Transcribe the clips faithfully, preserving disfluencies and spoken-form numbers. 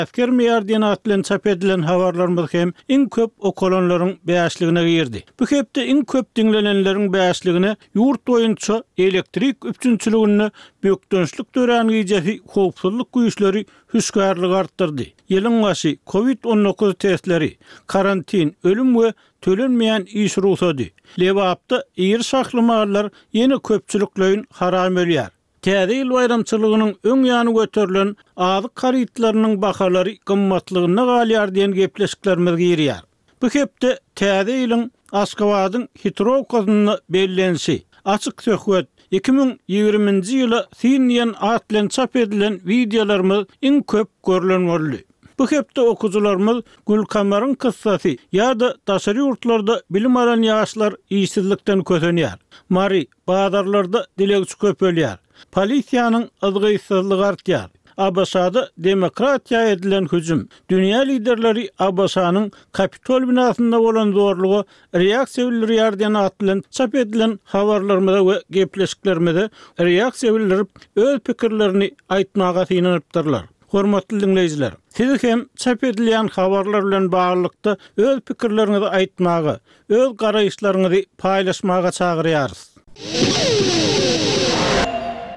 Äsgermeýär diýen at bilen çap edilen habarlarymyz hem iň köp okalanlaryň bäşligine girdi. Bu hepde iň köp diňlenenleriň bäşligine ýurt boýunça elektrik üpjünçiliginde bökdençlik dörän gijesi howpsuzlyk güýçleri hüşgärligi artdyrdy. Ýylyň başy Covid on dokuz testleri, karantin, ölüm we tölenmeýän iş rugsady. Lebapda iri şahly mallar ýene köpçülikleýin haram ölýär. Täze ýyl baýramçylygynyň öň ýany göterilen azyk harytlarynyň bahalary gymmatlygyna galýar diýen gepleşiklerimiz girýär. Bu hepde täze ýylyň Aşgabadyň Hitrowkasynda bellenişi, açyk söhbet, iki müň ýigriminji ýyla sin diýen at bilen çap edilen wideolarymyz iň köp görülen boldy. Bu hepde okuwçylarymyz Gülkamaryň kyssasy ýa-da daşary ýurtlarda bilim alan ýaşlar işsizlikden kösenýär. Mary bazarlarda dilegçi köpelýär. Polisiýanyň yzgytsyzlygy artýar. A B Ş-da demokratiýa edilen hüjüm. Dünýä liderleri A B Ş-nyň Kapitol binasynda bolan zorluga reaksiýa bildirýär diýen at bilen çap edilen habarlarymyza we gepleşiklerimize reaksiýa bildirip, öz pikirlerini aýtmaga synanypdyrlar. Hormatly dinleýjiler, siz hem çap edilýän habarlar bilen baglylykda öz pikirleriňizi aýtmaga, öz garaýyşlaryňyzy paýlaşmaga çagyrýarys.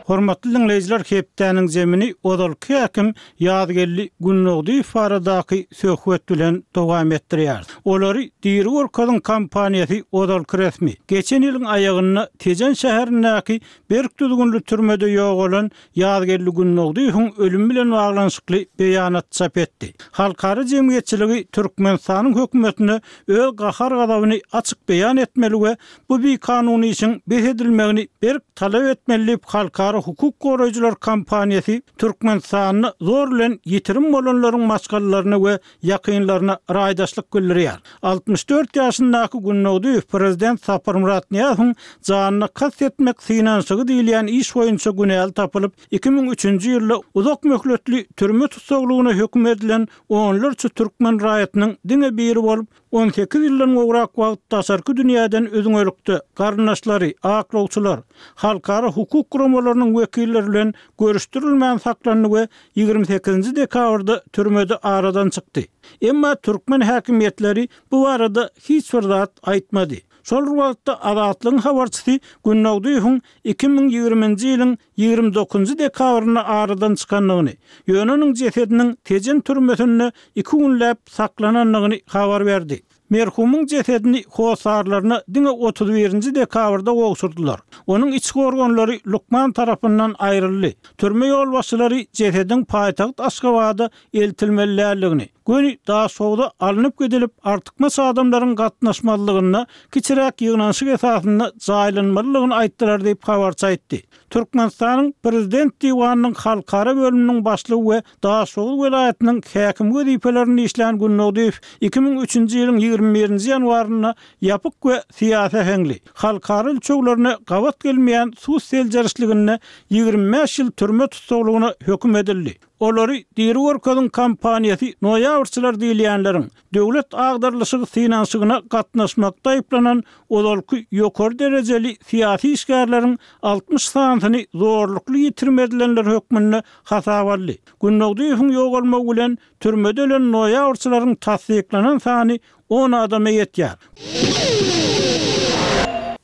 Hormatly dinleýjiler, hepdäniň zemini ozalky häkim Ýazgeldi Gündogdyýew baradaky söhbet bilen dowam etdirýär. Olary Diri Görkeziň kompaniýasy ozalky resmi. Geçen ýylyň aýagynda Tejen şäherindäki berk düzgünli türmede ýogalan Ýazgeldi Gündogdyýewiň ölümi bilen baglanyşykly beýanat çap etdi. Halkara jemgyýetçiligi Türkmenistanyň hökümetine öz gahar-gazabyny açyk beýan etmeli we bu bikanun işiň bes edilmegini berk talap etmeli diýip Halkara hukuk goraýjylar kompaniýasy Türkmenistanda zor bilen ýitirim bolanlaryň maşgalalaryna we ýakynlaryna raýdaşlyk bildirýär. altmyş dört ýaşyndaky Gündogdyýew prezident Saparmyrat Nyýazowyň janyna kast etmek synanyşygy diýilýän iş boýunça günäli tapylyp, iki müň üçünji ýylda uzak möhletli türme tussaglygyna höküm edilen onlarça türkmen raýatynyň diňe biri bolup, on sekiz ýyldan gowrak wagt daşarky dünýäden üzňelikde garyndaşlary, aklawçylar, halkara hukuk guramalarynyň wekilleri bilen görüşdirilmän saklandy we ýigrimi sekizinji dekabrda türmede aradan çykdy. Emma türkmen häkimiýetleri bu barada hiç bir zat aýtmady. Şol wagtda Azatlygyň habarçysy Gündogdyýewiň iki müň ýigriminji ýylyň ýigrimi dokuzynjy dekabrynda aradan çykandygyny, ýöne onuň jesediniň Tejen türmesinde iki günläp saklanandygyny habar berdi. Merhumyň jesedini hossarlaryna diňe otuz birinji dekabrda gowşurdylar. Onuň içki organlary lukman tarapyndan aýryldy. Türme ýolbaşçylary jesediň paýtagt Aşgabada eltilmeli däldigini, göni Daşoguz'a alnyp gidilip artykmaç adamlaryň gatnaşmazlygynda kiçiräk ýygnanyşyk esasynda jaýlanmalydygyny aýtdylar diýip habarçy aýtdy. Türkmenistanyň Prezident diwanynyň halkara bölüminiň başlygy we Daşoguz welaýatynyň häkim wezipelerini işlän Gündogdyýew iki müň üçünji ýylyň ýigrimi birinji ýanwarynda ýapyk we syýasy äheňli halkara ölçeglerine gabat gelmeýän sud seljerişliginde ýigrimi bäş ýyl türme tussaglygyna höküm edildi. Olary Diri Görkeziň kompaniýasy noýabrçylar diýilýänleriň döwlet agdarlyşygy synanyşygyna gatnaşmakda aýyplanan ozalky ýokary derejeli syýasy işgärleriň altmyş sanysyny zorlukly ýitirim edilenler hökmünde hasap aldy. Gündogdyýewiň ýogalmagy bilen türmede ölen noýabrçylaryň tassyklanan sany on adama ýetýär.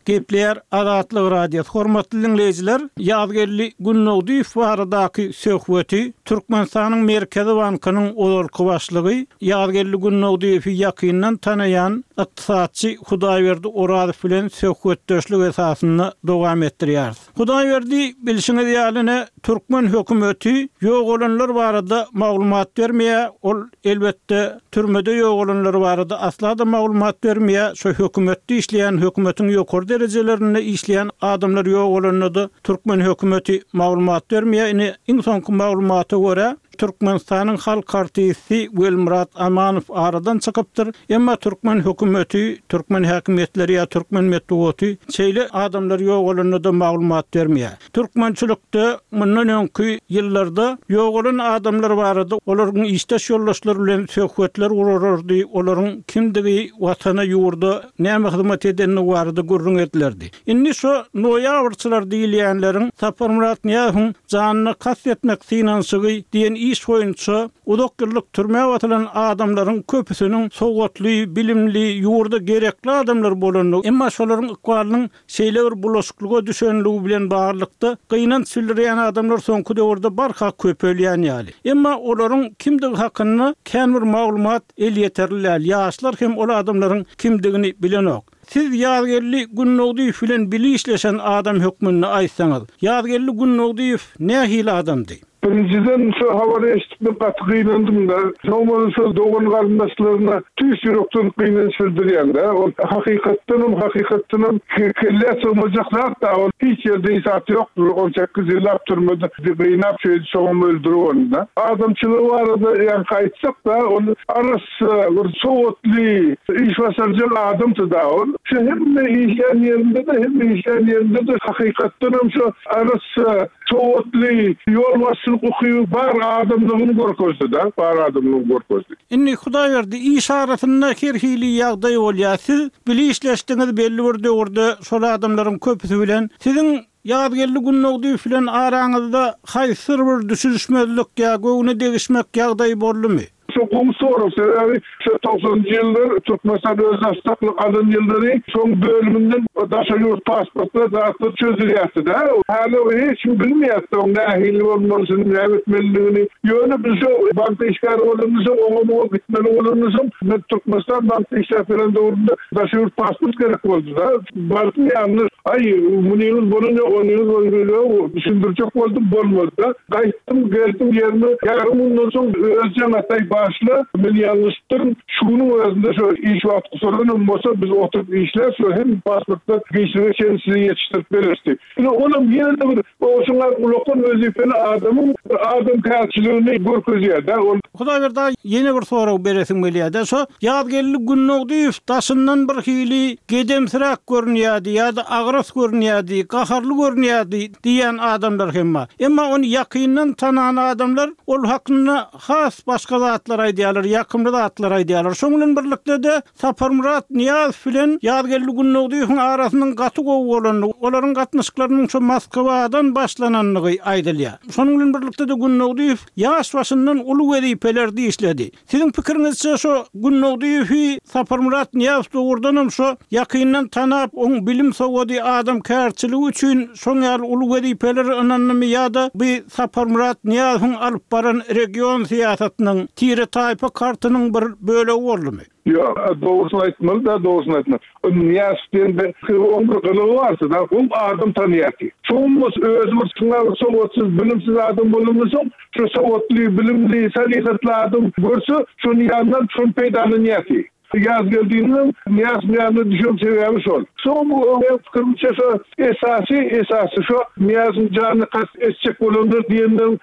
Gepleýär Azatlyk Radiosy. Hormatly dinleýjiler, Ýazgeldi Gündogdyýew baradaky söhbeti Türkmenistanyň Merkezi Bankynyň ozalky başlygy Ýazgeldi Gündogdyýewi ýakyndan tanaýan ykdysatçy Hudaýberdi Orazow bilen söhbetdeşlik esasynda dowam etdirýäris. Hudaýberdi, bilşiňiz ýaly ne türkmen hökümeti ýogalanlar barada maglumat bermeýär, ol elbetde türmede ýogalanlar barada asla da maglumat bermeýär. Şu hökümetde işleýän, hökümetiň ýokary derejelerinde işleýän adamlar ýogalanda da türkmen hökümeti maglumat bermeýär. Ine iň soňky maglumata görä Türkmenistanyň halk artisti Welmyrat Amanow aradan çykypdyr. Emma türkmen hökümeti, türkmen häkimiýetleri ýa türkmen metbugaty şeýle adamlar ýogalanda da maglumat bermeýär. Türkmençilikde mundan öňki ýyllarda ýogalan adamlar barada olaryň işdeş ýoldaşlary bilen söhbetler gurardy, olaryň kimdigi, watana, ýurda näme hyzmat edenligi barada gürrüň edilerdi. Indi şu noýabrçylar diýilýänleriň Saparmyrat Nyýazowyň janyna kast etmek synanyşygy diýen iş boýunça uzak ýyllyk türmä basylan adamlaryň köpüsiniň sowatly, bilimli, ýurda gerekli adamlar bolandygy, emma şolaryň ykbalynyň şeýle bir bulaşyklyga düşenligi bilen baglylykda gynanç bildirýän adamlar soňky döwürde barha köpelýän ýaly. Emma olaryň kimdigi hakynda kän bir maglumat elýeterli däl. Ýaşlar hem ol adamlaryň kimdigini bilenok. Siz Ýazgeldi Günnogdyýew bilen bile işleşen adam hökmünde aýtsaňyz, Ýazgeldi Günnogdyýew nähili adamdy? Birinjiden şu habary eşitip men gaty gynandym-da. Soň şu dogan garyndaşlaryna tüýs ýürekden gynanç bildirýän-de. Ol hakykatdanam, hakykatdanam kelle sygmajak zat-da. Ol hiç ýerde hiç zat ýokdur. On sekiz ýyllap türmede gynap şeýdip soňam öldürip ony-da. Adamçylygy barada ýaňky aýtsak-da, ol arassa, bir sowatly, iş başarjak adamdy-da ol. Şu hemme işlän ýerinde-de, hemme işlän ýerinde-de hakykatdanam şu arassa, sowatly, ýolbaşçylyk ukyby bar adamlygyny görkezdi-de, bar adamlygyny görkezdi. Indi Hudaýberdi, iş arasynda her hili ýagdaý bolýar. Siz bile işleşdiňiz belli bir döwürde şol adamlaryň köpüsi bilen. Siziň Ýazgeldi Günnogdyýew bilen araňyzda haýsydyr bir düşünişmezlik ýa göwne degişmek ýagdaýy boldumy? Şu gowy sorag, sebäbi şu togsanynjy ýyllar Türkmenistan özbaşdaklyk alan ýyllary şoň bölüminden daşary ýurt pasportlar zatlar çözülýärdi-de. Häli hiç kim bilmeýärdi oň nähili bolmalysyny, näme etmelidigini. Ýöne biz şu bankda işgär bolanymyzsoň, oňa muňa gitmeli bolanymyzsoň, men Türkmenistan bankda işläp ýören döwrümde daşary ýurt pasport gerek boldy-da. Bardym ýanyna, aý, munyňyz bolan ýok, onyňyz bolan ýok, düşündirjek boldum, bolmady-da. Gaýtdym, geldim ýerime, ýarym günden soň öz jaň atay başla, men ýalňyşypdyryn, şu günüň özünde şu iş wagty gutaranam bolsa biz oturyp işläp, şu hem pasportlar giçlige çenli size ýetişdirip bereris diýip. Ine, olam ýene-de bir şuňa ulakan wezipeli adamyň bir adamkärçiligini görkezýär-de. Ol Hudaýberdi aga, ýene bir sorag beresim gelýär-de, şo Ýazgeldi Günnogdyýew daşyndan bir hili gedemsiräk görünýärdi ýa-da agras görünýärdi, gaharly görünýärdi diýýän adamlar hem bar. Emma ony ýakyndan tanan adamlar ol hakynda has başga zatlar aýdýarlar, ýakymly zatlar aýdýarlar. Şonuň bilen birlikde-de Saparmyrat Nyýazow bilen Ýazgeldi Günnogdyýewiň arasynyň gaty gowy bolandygy, olaryň gatnaşyklarynyň şu Moskwadan başlanandygy aýdylýar. Şonuň bilen birlikde-de Günnogdyýew ýaş başyndan uly wezipelerde işledi. Siziň pikiriňizçe şo Günnogdyýewi Saparmyrat Nyýazow dogrudanam şo ýakyndan tanap, oň bilim sowady, adamkärçiligi üçin şoň ýaly uly wezipeleri ynandymy ýa-da bu Saparmyrat Nyýazowyň alyp baran region syýasatynyň, tire-taýpa kartynyň bir bölegi boldumy? Ýok, dogrusyny aýtmaly-da, dogrusyny aýtmaly. O Nyýazow diýende oň bir gylygy bardy-da, oň adam tanýardy. Şoň bolsa özi bir şuňa bir sowatsyz, bilimsiz adam bolandan soň, şu sowatly, bilimli, salyhatly adam görse, şonuň ýanyndan şony peýdalanýardy. Ýazgeldiniň Nyýazowyň ýanyna düşen sebäbi şol. Soň meň pikirimçe şo esasy, esasy şo Nyýazowyň janyna kast etjek bolanlar diýenleriň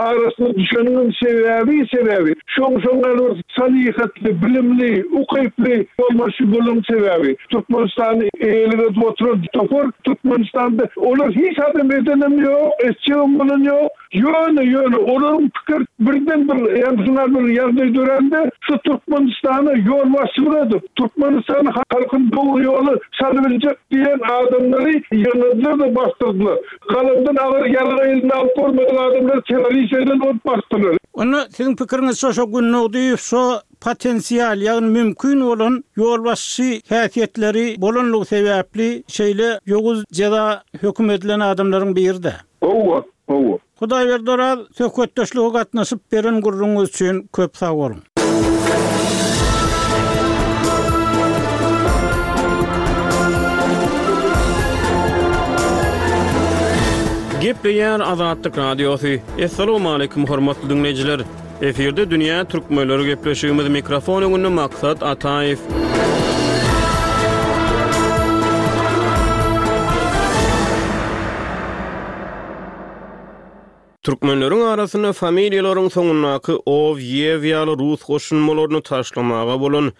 arasyna düşeniň sebäbi, sebäbi şoň şoň ýaly bir salyhatly, bilimli, ukyply ýolbaşçy bolan sebäbi. Türkmenistany eýelik edip oturan topar Türkmenistanda olar hiç adam edenem ýok, etjegem bolan ýok. Ýöne, ýöne olaryň pikir birden bir ýa-da şuňa bir ýagdaý dörände şu Türkmenistana ýolbaşçylyk edip, Türkmenistan halkyny dogry ýola salybiljek diýen adamlary ýygnadylar-da basdyrdylar. Galamdan agyr ýarag eline alyp görmedik adamlary terrorist eden bolup basdylar. Onda siziň pikiriňizçe şo Günnogdyýew şo potensial, ýagny mümkin bolan ýolbaşçy häsiýetleri bolanlygy sebäpli şeýle ýowuz jeza höküm edilen adamlaryň biri-de. Hawa, hawa. Hudaýberdi Oraz, söhbetdeşlige gatnaşyp beren gürrüňiňiz üçin köp sag boluň. Gepleýär Azatlyk Radiosy. Assalamualaikum hormatly diňleýjiler. Efirde Dünýä Türkmenleri gepleşigimiz, mikrofon öňünde Maksat Ataýew. Türkmenleriň arasynda familiýalaryň soňundaky ow, ýew ýaly rus goşulmalaryny taşlamaga bolan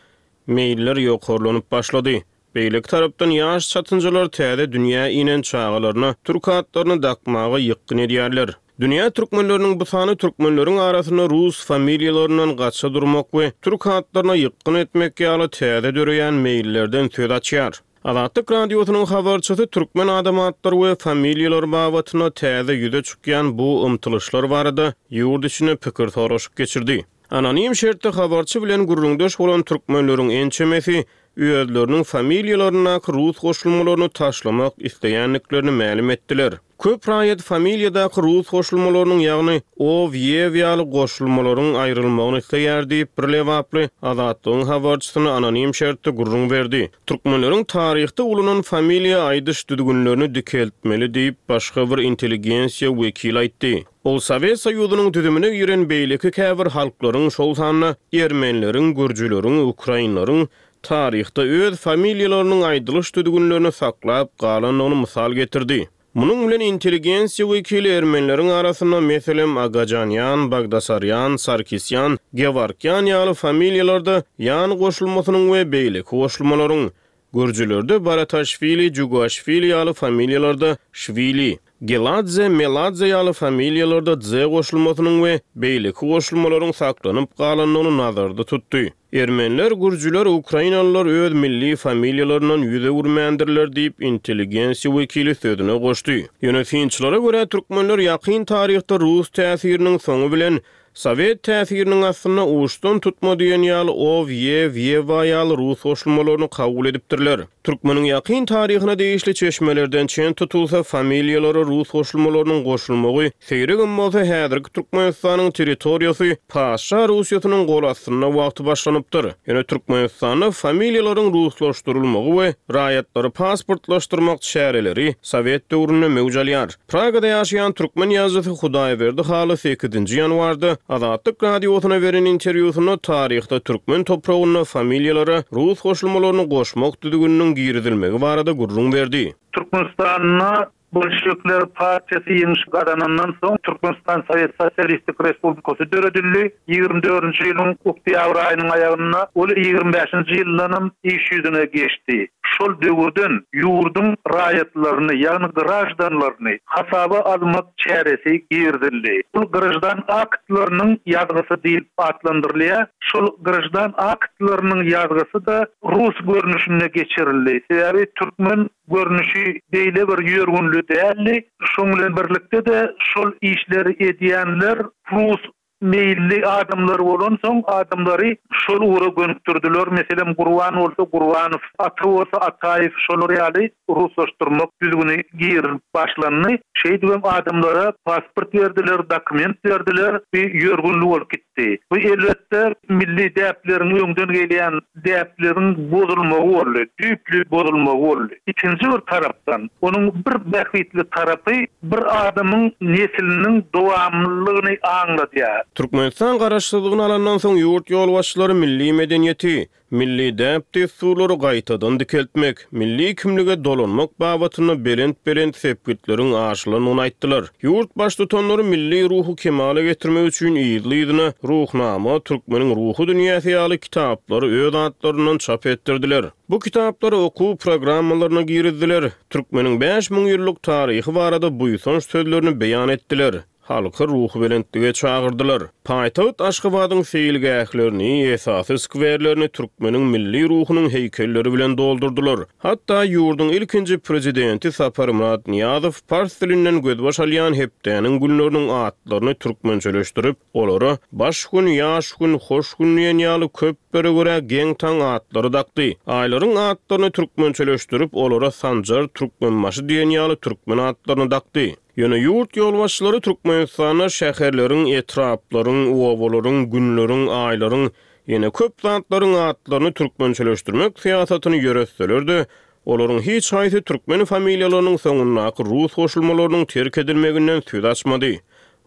meýiller ýokarlanyp başlady. Beýleki tarapdan ýaş çatynjalar täze dünýä inen çagalaryna türk atlaryny dakmaga ýykgyn edýärler. Dünýä türkmenleriniň bu sany türkmenleriň arasynda rus familiýalaryndan gaça durmak we türk atlaryna ýykgyn etmek ýaly täze döreýän meýillerden söz açýar. Azatlyk Radiosynyň habarçysy türkmen adam atlary we familiýalary babatynda täze ýüze çykýan bu ymtylyşlar barada ýurt içinde pikir soraşyk geçirdi. Anonim şertde habarçy bilen gürrüňdeş bolan türkmenleriň ençemesi özleriniň familiýalaryndaky rus goşulmalaryny taşlamak isleýändiklerini mälim etdiler. Köp raýat familiýadaky rus goşulmalarynyň, ýagny ow, ýew ýaly goşulmalaryň aýrylmagyny isleýär diýip, bir lebaply Azatlygyň habarçysyna anonim şertde gürrüň berdi. Türkmenleriň taryhda ulanan familiýa aýdyş düzgünlerini dikeltmeli diýip, başga bir intelligensiýa wekili aýtdy. Ol Sowet Soýuzynyň düzümine giren beýleki käbir halklaryň, şol sanda ermenileriň, gürjüleriň, ukrainleriň taryhda öz familiýalarynyň aýdylyş düzgünlerini saklap galandygyny mysal getirdi. Munuň bilen intelligensiýa wekili ermenileriň arasynda, meselem, Agajanýan, Bagdasarýan, Sarkisýan, Gewarkýan ýaly familiýalarda ýan goşulmasynyň we beýleki goşulmalaryň, gürjülerde Barataşwili, Jugaşwili ýaly familiýalarda Şwili, Geladze, Meladze ýaly familiýalarda dze goşulmasynyň we beýleki goşulmalaryň saklanyp galandygyny nazarda tutdy. Ermeniler, gürjüler, ukrainalylar öz milli familiýalaryndan ýüz öwürmändirler diýip, intelligensiýa wekili sözüne goşdy. Ýöne synçylara görä, türkmenler ýakyn taryhda rus täsiriniň soňy bilen sowet täsiriniň astynda uçdan tutma diýen ýaly ow, ýew, ýewa ýaly rus goşulmalaryny kabul edipdirler. Türkmeniň ýakyn taryhyna degişli çeşmelerden çen tutulsa, familiýalara rus goşulmalarynyň goşulmagy seýregem bolsa häzirki Türkmenistanyň territoriýasy Paşa Russiýasynyň gol astynda wagty başlanypdyr. Ýöne Türkmenistanda familiýalaryň ruslaşdyrylmagy we raýatlary pasportlaşdyrmak çäreleri sowet döwründe möwç alýar. Pragada ýaşaýan türkmen ýazyjysy Hudaýberdi Haly sekizinji ýanwarda Azatlyk Radiosyna beren interwýusynda taryhda türkmen topragynda familiýalara rus goşulmalaryny goşmak düzgüniniň girizilmegi barada gürrüň berdi. Türkmenistanda Bolşevikler partiýasy ýeňiş gazanandan soň Türkmenistan Sowet Sosialistik Respublikasy döredildi. Ýigrimi dördünji ýylyň oktýabr aýynyň aýagynda ol ýigrimi bäşinji ýyldanam iş ýüzüne geçdi. Şol döwürden ýurduň raýatlaryny, ýagny graždanlaryny hasaba almak çäresi girizildi. Bu graždan aktlarynyň ýazgysy diýlip atlandyrylýar. Şol graždan aktlarynyň ýazgysy-da rus görnüşinde geçirildi. Sebäbi türkmen görnüşi beýle bir ýörgünli däldi. Şoň bilen birlikde-de şol işleri edýänler rus meýilli adamlar bolansoň adamlary şol ugra gönükdirdiler. Meselem, Gurban bolsa Gurbanow, Ata bolsa Ataýew, şolar ýaly ruslaşdyrmak düzgüni girilip başlandy. Şeýdibem adamlara pasport berdiler, dokument berdiler, bir ýörgünli bolup gitdi. Bu elbetde milli däpleriň öňden gelýän däpleriň bozulmagy boldy, düýpli bozulmagy boldy. Ikinji bir tarapdan, onuň bir bähbitli tarapy bir adamyň nesliniň dowamlylygyny aňladýar. Türkmenistan garaşsyzlygyny alandan soň ýurt ýolbaşçylary milli medeniýeti, milli däp-dessurlary gaýtadan dikeltmek, milli kimlige dolanmak babatynda belent-belent sepgitleriň aşylandygyny aýtdylar. Ýurt baştutanlary milli ruhy kemala getirmek üçin yzly-yzyna Ruhnama, Türkmeniň ruhy dünýäsi ýaly kitaplary öz atlaryndan çap etdirdiler. Bu kitaplary okuw programmalaryna girizdiler. Türkmeniň bäş müň ýyllyk taryhy barada buýsanç sözlerini beýan etdiler. Halky ruhubelentlige çagyrdylar. Paýtagt Aşgabadyň seýilgählerini, esasy skwerlerini türkmeniň milli ruhunyň heýkelleri bilen doldurdylar. Hatda ýurduň ilkinji prezidenti Saparmyrat Nyýazow pars dilinden gözbaş alýan hepdäniň günleriniň atlaryny türkmençeleşdirip, olara baş gün, ýaş gün, hoş gün diýen ýaly köplere görä geň-taň atlary dakdy. Aýlaryň atlaryny türkmençeleşdirip, olara Sanjar, Türkmenbaşy diýen ýaly türkmen atlaryny dakdy. Ýöne ýurt ýolbaşçylary Türkmenistanda şäherleriň, etraplaryň, obalaryň, günleriň, aýlaryň, ýene köp zatlaryň atlaryny türkmençeleşdirmek syýasatyny ýöretseler-de, olaryň hiç haýsy türkmen familiýalarynyň soňundaky rus goşulmalarynyň terk edilmeginden söz açmady.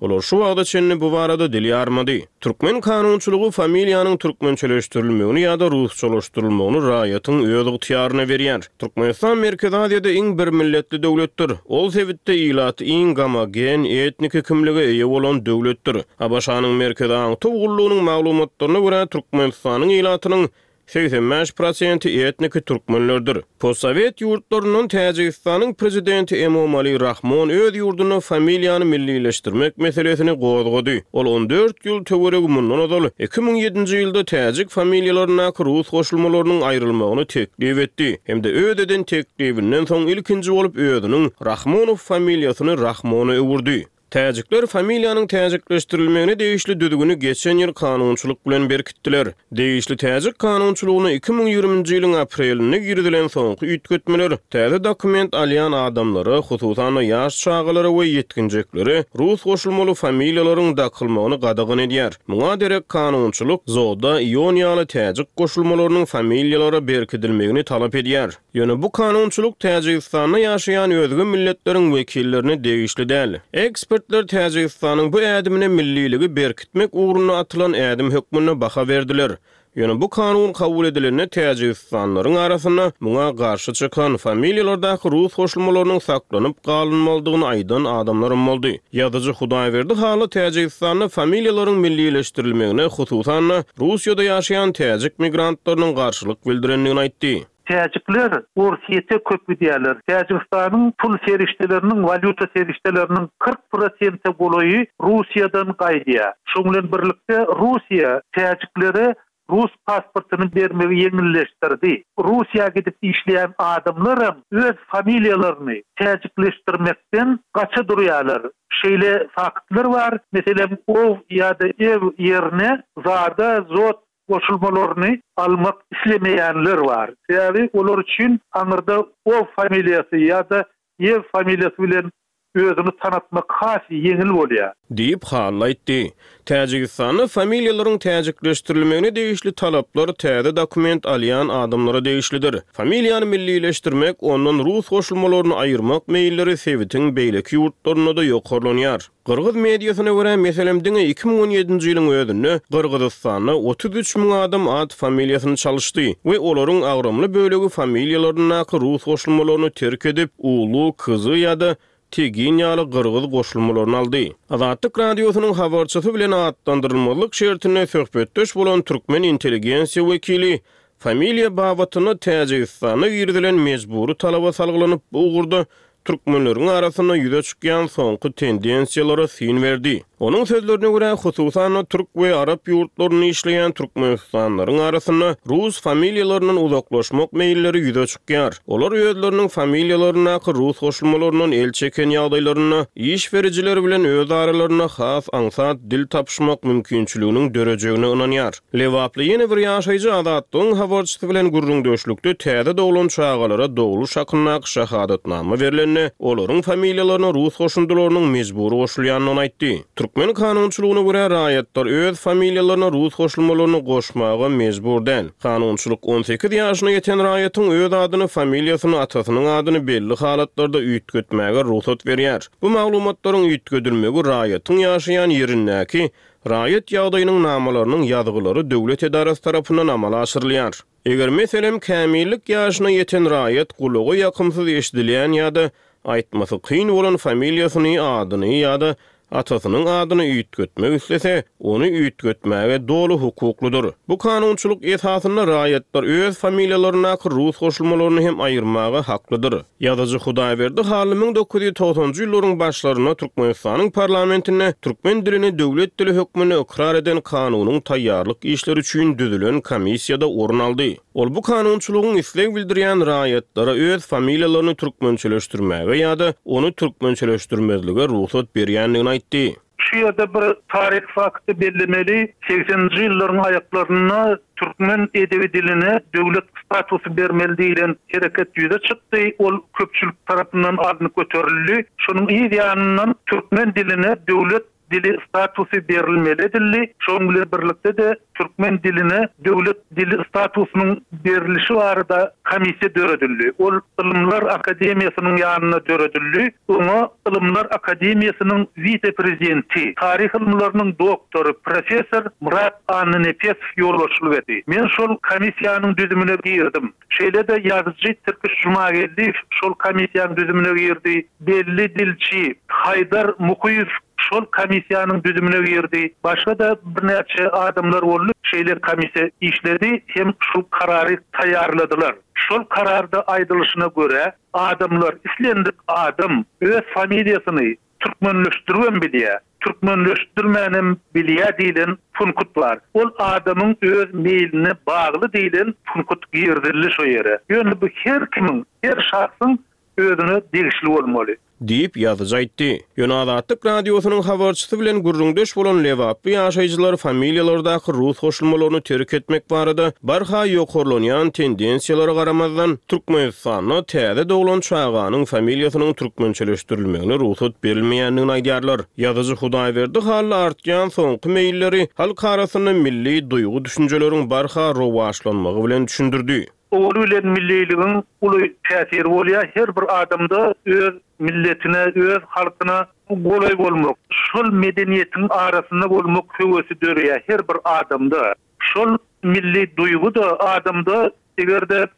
Olar şu wagta çenli bu barada dil ýarmady. Türkmen kanunçylygy familiýanyň türkmençeleşdirilmegini ýa-da rusçalaşdyrylmagyny raýatyň öz ygtyýaryna berýär. Türkmenistan Merkezi Aziýada iň bir milletli döwletdir. Ol sebitde ilaty iň gomogen etniki kimlige eýe bolan döwletdir. ABŞ-nyň Merkezi Aňtaw gullugynyň maglumatlaryna görä Türkmenistanyň ilatynyň segsen bäş prosenti etniki türkmenlerdir. Postsowet ýurtlaryndan Täjigistanyň prezidenti Emomali Rahmon öz ýurdunda familiýany millileşdirmek meselesini gozgady. Ol on dört ýyl töweregi mundan ozal iki müň ýedinji ýylda täjik familiýalaryndaky rus goşulmalarynyň aýrylmagyny teklip etdi. Hem-de öz eden teklibinden soň ilkinji bolup özüniň Rahmonow familiýasyny Rahmona öwürdi. Täjikler familiýanyň täjikleşdirilmegine degişli düzgüni geçen ýyl kanunçylyk bilen berkitdiler. Degişli täjik kanunçylygyna iki müň ýigriminji ýylyň aprelinde girizilen soňky üýtgetmeler täze dokument alýan adamlara, hususan-da ýaş çagalara we ýetginjeklere rus goşulmaly familiýalaryň dakylmagyny gadagan edýär. Muňa derek kanunçylyk Zoda, Ion ýaly täjik goşulmalarynyň familiýalara berkidilmegini talap edýär. Ýöne bu kanunçylyk Täjigistanda ýaşaýan özge milletleriň wekillerine degişli däl. Ekspertler Täjigistanyň bu ädimine milliligi berkitmek ugrunda atylan ädim hökmünde baha berdiler. Ýöne bu kanun kabul edilende Täjigistanlaryň arasynda muňa garşy çykan familiýalardaky rus goşulmalarynyň saklanyp galynmalydygyny aýdan adamlarym boldy. Ýazyjy Hudaýberdi Hally Täjigistanda familiýalaryň millileşdirilmegine, hususan-da Russiýada ýaşaýan täjik migrantlarynyň garşylyk bildirendigini aýtdy. Täjikler Orsýete köp gidýärler. Täjigistanyň pul serişdeleriniň, walýuta serişdeleriniň kyrk prosente golaýy Russiýadan gaýdýar. Şoň bilen birlikde Russiýa täjiklere Rus pasportyny bermegi ýeňilleşdirdi. Russiýa gidip işleýän adamlaram öz familiýalaryny täjikleşdirmekden gaça durýarlar. Şeýle faktlar bar. Meselem, ow ýa-da ew ýerine zada, zot goşulmalaryny almak islemeýänler bar. Sebäbi olar üçin aňyrda ow familiýasy ýa-da ew familiýasy bilen özüni tanatmak has ýeňil bolýar. Diýip Hally aýtdy. Täjigistanda familiýalaryň täjikleşdirilmegine degişli talaplar täze dokument alýan adamlara degişlidir. Familiýany millileşdirmek, ondan rus goşulmalaryny aýyrmak meýilleri sebitiň beýleki ýurtlarynda-da ýokarlanýar. Gyrgyz mediasyna görä, meselem, diňe iki müň on ýedinji ýylyň özünde Gyrgyzystanda otuz üç müň adam at familiýasyny çalyşdy we olaryň agramly bölegi familiýalaryndaky rus goşulmalaryny terk edip, ulu, kyzy ýa-da Tegin ýaly gyrgyz goşulmalaryny aldy. Azatlyk radiosynyň habarçysy bilen atlandyrylmazlyk şertinde söhbetdeş bolan türkmen intelligensiýa wekili familiýa babatynda Täjigistana girizilen mejbury talaba salgylanyp, bu ugurda türkmenleriň arasynda ýüze çykýan soňky tendensiýalara syn berdi. Onuň sözlerine görä, hususan-da türk we arap ýurtlarynda işleýän türkmenistanlaryň arasynda rus familiýalaryndan uzaklaşmak meýilleri ýüze çykýar. Olar özleriniň familiýalaryndaky rus goşulmalaryndan el çeken ýagdaýlarynda iş berijiler bilen öz aralarynda has aňsat dil tapyşmak mümkinçiliginiň dörejegine ynanýar. Lebaply ýene bir ýaşaýjy Azatlygyň habarçysy bilen gürrüňdeşlikde täze doglan çagalara dogluş hakyndaky şahadatnama berlende, olaryň familiýalaryna rus goşundylarynyň mejbury goşulýandygyny aýtdy. Türkmen kanunçylygyna görä raýatlar öz familiýalaryna rus goşulmalaryny goşmaga mejbur däl. Kanunçylyk on sekiz ýaşyna ýeten raýatyň öz adyny, familiýasyny, atasynyň adyny belli halatlarda üýtgetmäge rugsat berýär. Bu maglumatlaryň üýtgedilmegi raýatyň ýaşaýan ýerindäki raýat ýagdaýynyň namalarynyň ýazgylary döwlet edarasy tarapyndan amala aşyrylýar. Eger meselem kämillik ýaşyna ýeten raýat gulaga ýakymsyz eşidilýän ýa-da aýtmasy kyn bolan familiýasyny, adyny ýa-da atasynyň adyny üýtgetmek islese, ony üýtgetmäge doly hukuklydyr. Bu kanunçylyk esasynda raýatlar öz familiýalaryndaky rus goşulmalaryny hem aýyrmaga haklydyr. Ýazyjy Hudaýberdi Hally müň dokuz ýüz togsanjy ýyllaryň başlarynda Türkmenistanyň parlamentinde türkmen dilini döwlet dili hökmünde ykrar eden kanunyň taýýarlyk işleri üçin düzülen komissiýada orun aldy. Ol bu kanunçylygyň isleg bildirýän raýatlara öz familiýalaryny türkmençeleşdirmäge ýa-da ony türkmençeleşdirmezlige rugsat berýändigini aýtdy. Şu ýerde bir taryh fakty bellemeli. Sekseninji ýyllaryň aýaklarynda türkmen edebi diline döwlet statusy bermeli diýlen hereket ýüze çykdy. Ol köpçülik tarapyndan alnyp göterildi. Şonuň yz ýanyndan türkmen diline döwlet dili statusy berilmeli edildi. Şonuň bilen birlikde de türkmen diline döwlet dili statusynyň berilişi barada komissiýa döredildi. Ol Ylymlar Akademiýasynyň ýanynda döredildi. Oňa Ylymlar Akademiýasynyň wise-prezidenti, taryh ylymlarynyň doktory, professor Murat Annanepesow ýolbaşçylyk etdi. Men şol komissiýanyň düzümine girdim. Şeýle-de ýazyjy Tirkiş Jumageldiýew şol komissiýanyň düzümine girdi. Belli dilçi Haýdar Muhyýew şol komissiýanyň düzümine girdi. Başga da birnäçe adamlar boldy. şeýle komissiýa işledi hem şu karary taýýarladylar. Şol kararda aýdylyşyna görä, adamlar, islendik adam öz familiýasyny türkmenleşdiribem bilýär, türkmenleşdirmänem bilýär diýlen punkt bar. Ol adamyň öz meýline bagly diýlen punkt girizildi şo ýere. Ýöne bu her kimiň, her şahsyň özüne degişli bolmaly. Diýip, ýazyjy aýtdy. Ýöne Azatlyk Radiosynyň habarçysy bilen gürrüňdeş bolan lebaply ýaşaýjylar familiýalardaky rus goşulmalaryny terk etmek barada barha ýokarlanýan tendensiýalara garamazdan, Türkmenistanda täze doglan çaganyň familiýasynyň türkmençeleşdirilmegine rugsat berilmeýändigini aýdýarlar. Ýazyjy Hudaýberdi Hally artýan soňky meýilleri halk arasynda milli duýgy-düşünjeleriň barha rowaçlanmagy bilen düşündirdi. Owaly bilen milliligiň uly täsiri bolýar. Her bir adamda öz milletine, öz halkyna golaý bolmak, şol medeniýetiň arasynda bolmak höwesi döreýär her bir adamda. Şol milli duýgy-da adamda eger-de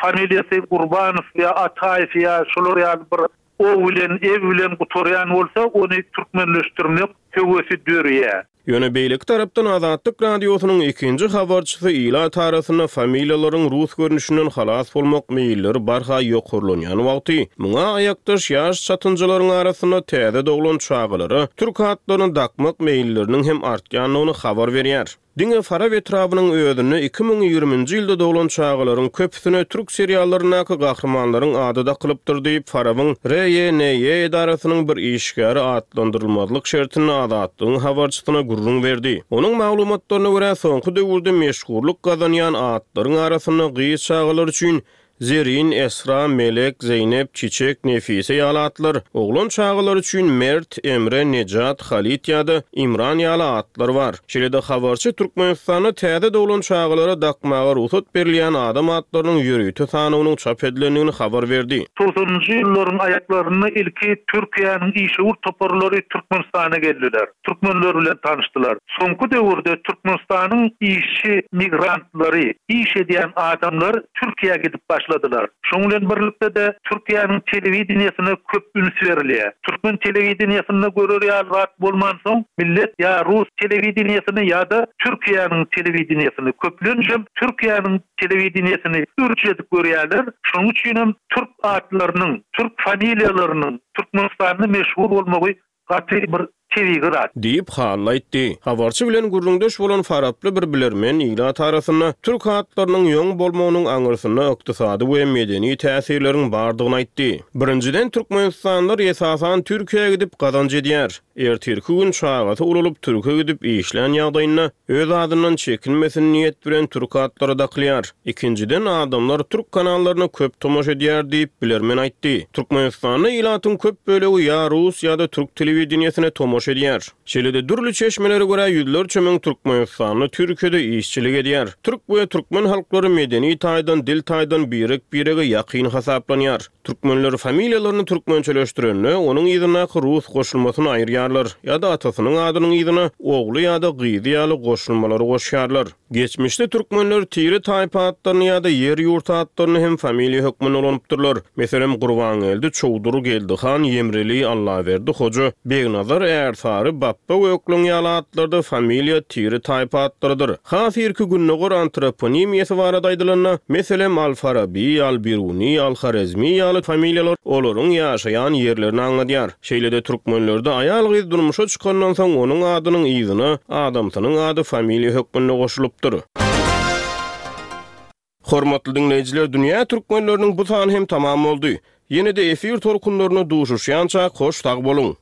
familiýasy Gurbanow ýa Ataýew ýa şolar ýaly bir o bilen, ew bilen gutarýan bolsa, ony türkmenleşdirmek höwesi döreýär. Ýöne beýleki tarapdan Azatlyk Radiosynyň ikinji habarçysy ilat arasynda familiýalaryň rus görnüşinden halas bolmak meýilleri barha ýokarlanýan wagty, muňa aýakdaş ýaş çatynjalaryň arasynda täze doglan çagalara türk atlaryny dakmak meýilleriniň hem artýandygyny habar berýär. Diňe Farap etrabynyň özünde iki müň ýigriminji ýylda doglan çagalaryň köpüsine türk seriallaryndaky gahrymanlaryň ady dakylypdyr diýip, Farabyň R Y N Y edarasynyň bir işgäri atlandyrylmazlyk şertinde Azatlygyň habarçysyna gürrüň berdi. Onuň maglumatlaryna görä, soňky döwürde meşhurlyk gazanýan atlaryň arasynda gyz çagalar üçin Zerin, Esra, Melek, Zeýnep, Çiçek, Nefise ýaly atlar, oglan çagalar üçin Mert, Emre, Nejat, Halit ýa-da Imran ýaly atlar bar. Şeýle-de habarçy Türkmenistanda täze doglan çagalara dakmaga rugsat berilýän adam atlarynyň ýörite sanawynyň çap edilendigini habar berdi. Togsanynjy ýyllaryň aýaklarynda ilki Türkiýäniň işewür toparlary Türkmenistana geldiler. Türkmenler bilen tanyşdylar. Soňky döwürde Türkmenistanyň işçi migrantlary, iş edýän adamlar Türkiýä gidip başladylar. Şonuň bilen birlikde-de Türkiýäniň telewideniýesine köp üns berilýär. Türkmen telewideniýesinde görer ýaly zat bolmansoň, millet ýa rus telewideniýesini ýa-da Türkiýäniň telewideniýesini, köplençem Türkiýäniň telewideniýesini ürç edip görýärler. Şonuň üçin hem türk atlarynyň, türk familiýalarynyň Türkmenistanda meşhur bolmagy gaty bir tebigy zat. Diýip, Hally aýtdy. Habarçy bilen gürrüňdeş bolan faraply bir bilermen ilat arasynda türk atlarynyň ýoň bolmagynyň aňyrsynda ykdysady we medeni täsirleriň bardygyny aýtdy. Birinjiden, türkmenistanlylar esasan Türkiýä gidip gazanç edýär. Ertirki gün çagasy ulalyp türke gidip işlän ýagdaýynda öz adyndan çekinmesin niýet bilen türk atlary dakylýar. Ikinjiden, adamlar türk kanallaryna köp tomaşa edýär diýip, bilermen aýtdy. Türkmenistanda ilatyň köp bölegi ýa rus ýa-da türk telewideniýesine tomaşa edýär. Şeýle-de dürli çeşmelere görä ýüzlerçe müň türkmenistanly Türkiýede işçilik edýär. Türk we türkmen halklary medeni taýdan, dil taýdan birek-birege ýakyn hasaplanýar. Türkmenler familiýalaryny türkmençeleşdirende, onuň yzyndaky rus goşulmasyny aýyrýarlar ýa-da atasynyň adynyň yzyna ogly ýa-da gyzy ýaly goşulmalary goşýarlar. Geçmişde türkmenler tire-taýpa atlaryny ýa-da ýer-ýurt atlaryny hem familiýa hökmünde ulanypdyrlar. Meselem, Gurbangeldi, Çowdur, Geldihan, Ýemreli, Allaberdi, Hoja, Begnazar, Ärsary, Bapba Gökleň ýaly atlarda familiýa tire-taýpa atlarydyr. Has irki gündogar antroponimiýasy barada aýdylanda, meselem, Al-Farabi, Al-Biruni, Al-Horezmi ýaly familiýalar olaryň ýaşaýan ýerlerini aňladýar. Şeýle-de türkmenlerde aýal-gyz durmuşa çykandan soň onuň adynyň yzyna adamsynyň ady familiýa hökmünde goşulypdyr. Hormatly diňleýjiler, dünýä türkmenleriniň bu sany hem tamam boldy. Ýene-de efir tolkunlarynda duşuşýança hoş sag boluň!